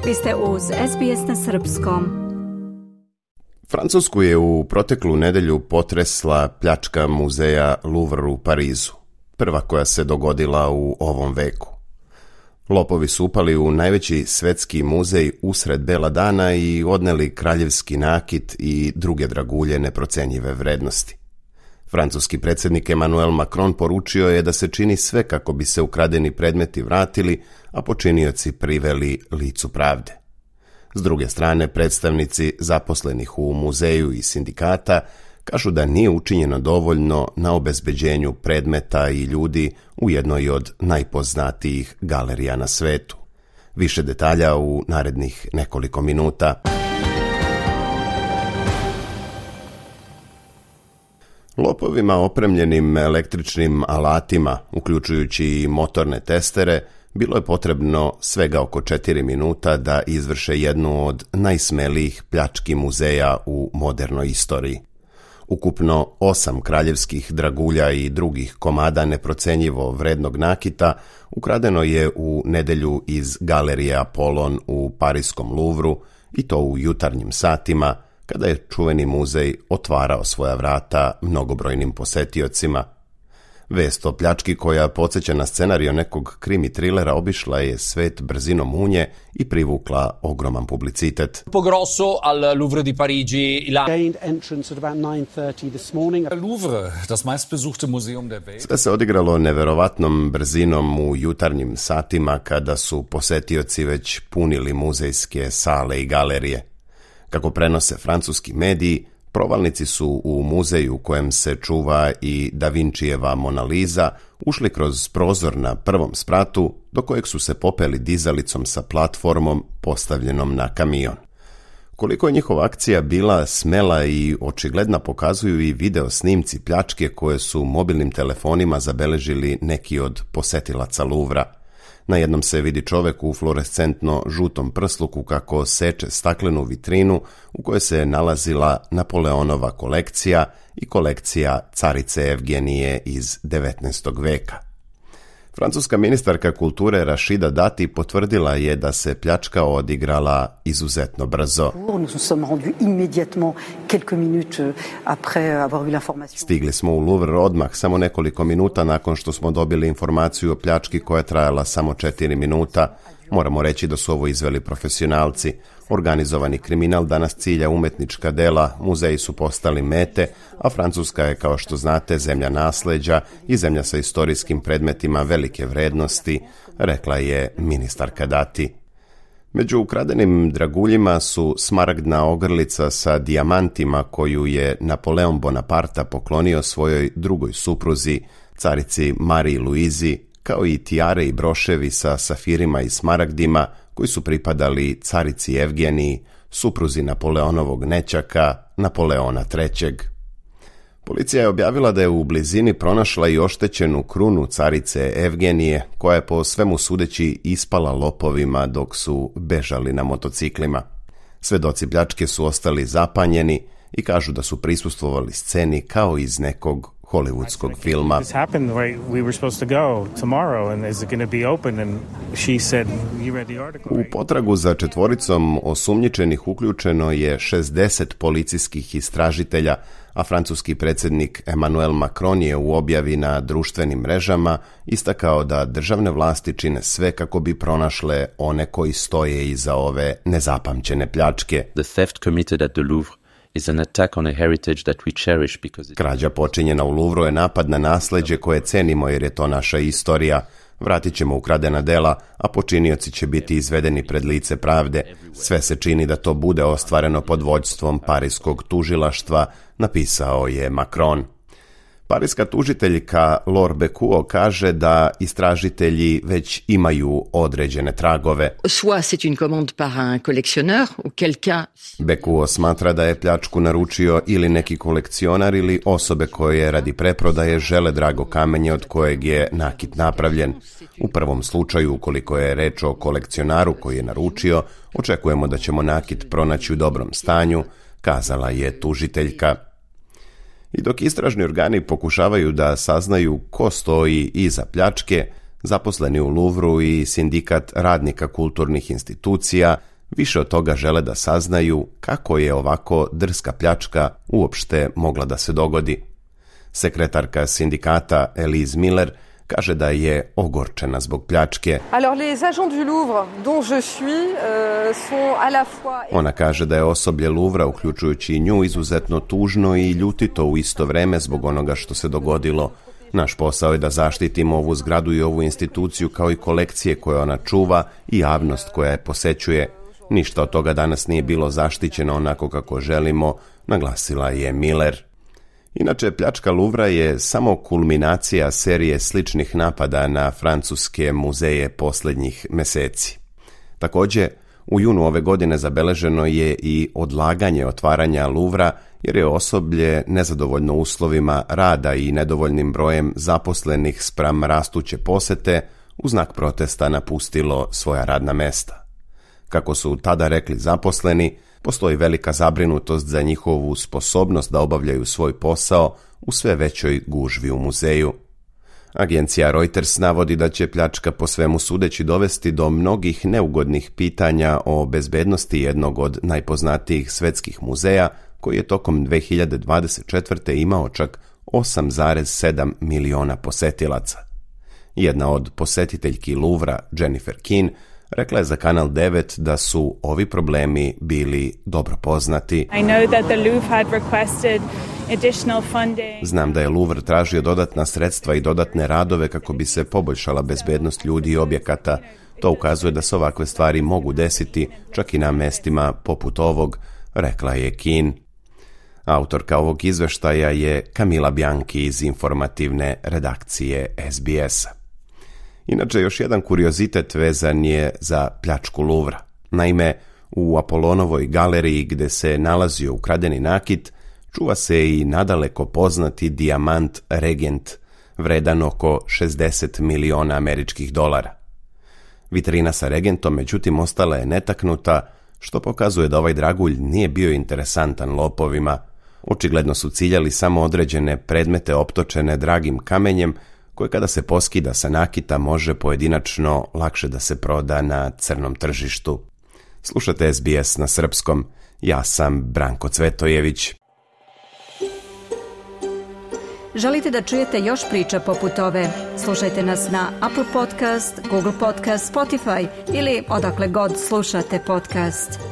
Vi ste uz SBS na srpskom. Francusku je u proteklu nedelju potresla pljačka muzeja Louvre u Parizu, prva koja se dogodila u ovom veku. Lopovi su upali u najveći svetski muzej usred bela dana i odneli kraljevski nakit i druge dragulje neprocenjive vrednosti. Francuski predsjednik Emmanuel Macron poručio je da se čini sve kako bi se ukradeni predmeti vratili, a počinioci priveli licu pravde. S druge strane, predstavnici zaposlenih u muzeju i sindikata kažu da nije učinjeno dovoljno na obezbeđenju predmeta i ljudi u jednoj od najpoznatijih galerija na svetu. Više detalja u narednih nekoliko minuta. Lopovima opremljenim električnim alatima, uključujući i motorne testere, bilo je potrebno svega oko 4 minuta da izvrše jednu od najsmelijih pljački muzeja u modernoj istoriji. Ukupno 8 kraljevskih dragulja i drugih komada neprocenjivo vrednog nakita ukradeno je u nedjelju iz galerije Apollon u pariskom Louvru, i to u jutarnjim satima, kada je čuveni muzej otvarao svoja vrata mnogobrojnim posetiocima. Vest o pljački, koja podsjeća na scenarijo nekog krimi trilera, obišla je svet brzinom munje i privukla ogroman publicitet. Grosso al Louvre di Parigi. Gained entrance at about 9:30 this morning. Louvre, das meistbesuchte Museum der Welt. Sve se odigralo neverovatnom brzinom u jutarnjim satima, kada su posetioci već punili muzejske sale i galerije. Kako prenose francuski mediji, provalnici su u muzeju u kojem se čuva i Da Vincijeva Mona Lisa ušli kroz prozor na prvom spratu, do kojeg su se popeli dizalicom sa platformom postavljenom na kamion. Koliko je njihova akcija bila smela i očigledna pokazuju i video snimci pljačke koje su mobilnim telefonima zabeležili neki od posetilaca Louvra. Na jednom se vidi čovjek u fluorescentno žutom prsluku kako seče staklenu vitrinu u kojoj se nalazila Napoleonova kolekcija i kolekcija carice Evgenije iz 19. veka. Francuska ministarka kulture Rachida Dati potvrdila je da se pljačka odigrala izuzetno brzo. Stigli smo u Louvre odmah, samo nekoliko minuta nakon što smo dobili informaciju o pljački koja je trajala samo 4 minuta. Moramo reći da su ovo izveli profesionalci. Organizovani kriminal danas cilja umetnička dela, muzeji su postali mete, a Francuska je, kao što znate, zemlja nasleđa i zemlja sa istorijskim predmetima velike vrednosti, rekla je ministarka Dati. Među ukradenim draguljima su smaragdna ogrlica sa dijamantima koju je Napoleon Bonaparte poklonio svojoj drugoj supruzi, carici Mariji Luizi, kao i tijare i broševi sa safirima i smaragdima koji su pripadali carici Evgeniji, supruzi Napoleonovog nećaka, Napoleona III. Policija je objavila da je u blizini pronašla i oštećenu krunu carice Evgenije, koja je po svemu sudeći ispala lopovima dok su bežali na motociklima. Svedoci pljačke su ostali zapanjeni i kažu da su prisustvovali sceni kao iz nekog hollywoodskog filma. U potragu za četvoricom osumnjičenih uključeno je 60 policijskih istražitelja, a francuski predsjednik Emmanuel Macron je u objavi na društvenim mrežama istakao da državne vlasti čine sve kako bi pronašle one koji stoje iza ove nezapamćene pljačke. The theft committed at the Louvre is an attack on a heritage that we cherish because Krađa počinjena u Louvru je napad na nasleđe koje cenimo jer je to naša istorija. Vratit ćemo ukradena dela, a počinioci će biti izvedeni pred lice pravde. Sve se čini da to bude ostvareno pod vođstvom parijskog tužilaštva, napisao je Macron. Parijska tužiteljka Laure Bekuo kaže da istražitelji već imaju određene tragove. Soit c'est une commande par un collectionneur, auquel cas... Bekuo smatra da je pljačku naručio ili neki kolekcionar ili osobe koje radi preprodaje žele drago kamenje od kojeg je nakit napravljen. U prvom slučaju, ukoliko je reč o kolekcionaru koji je naručio, očekujemo da ćemo nakit pronaći u dobrom stanju, kazala je tužiteljka. I dok istražni organi pokušavaju da saznaju ko stoji iza pljačke, zaposleni u Louvru i sindikat radnika kulturnih institucija Više od toga žele da saznaju kako je ovako drska pljačka uopšte mogla da se dogodi. Sekretarka sindikata Elise Miller kaže da je ogorčena zbog pljačke. Ona kaže da je osoblje Louvra, uključujući i nju, izuzetno tužno i ljutito u isto vreme zbog onoga što se dogodilo. Naš posao je da zaštitimo ovu zgradu i ovu instituciju kao i kolekcije koje ona čuva i javnost koja je posećuje. Ništa od toga danas nije bilo zaštićeno onako kako želimo, naglasila je Miller. Inače, pljačka Louvra je samo kulminacija serije sličnih napada na francuske muzeje posljednjih meseci. Također, u junu ove godine zabeleženo je i odlaganje otvaranja Louvra jer je osoblje nezadovoljno uslovima rada i nedovoljnim brojem zaposlenih spram rastuće posete u znak protesta napustilo svoja radna mesta. Kako su tada rekli zaposleni, postoji velika zabrinutost za njihovu sposobnost da obavljaju svoj posao u sve većoj gužvi u muzeju. Agencija Reuters navodi da će pljačka po svemu sudeći dovesti do mnogih neugodnih pitanja o bezbednosti jednog od najpoznatijih svetskih muzeja, koji je tokom 2024. imao čak 8,7 miliona posetilaca. Jedna od posjetiteljki Louvra, Jennifer Keane, rekla je za Kanal 9 da su ovi problemi bili dobro poznati. Znam da je Louvre tražio dodatna sredstva i dodatne radove kako bi se poboljšala bezbednost ljudi i objekata. To ukazuje da se ovakve stvari mogu desiti čak i na mestima poput ovog, rekla je Keane. Autorka ovog izveštaja je Camila Bianchi iz informativne redakcije SBS-a. Inače, još jedan kuriozitet vezan je za pljačku Louvra. Naime, u Apolonovoj galeriji gde se nalazio ukradeni nakit, čuva se i nadaleko poznati dijamant Regent, vredan oko 60 miliona američkih dolara. Vitrina sa Regentom, međutim, ostala je netaknuta, što pokazuje da ovaj dragulj nije bio interesantan lopovima. Očigledno su ciljali samo određene predmete optočene dragim kamenjem, koje kada se poskida sa nakita može pojedinačno lakše da se proda na crnom tržištu. Slušate SBS na srpskom. Ja sam Branko Cvetojević. Želite da čujete još priča poput ove? Slušajte nas na Apple Podcast, Google Podcast, Spotify ili odakle god slušate podcast.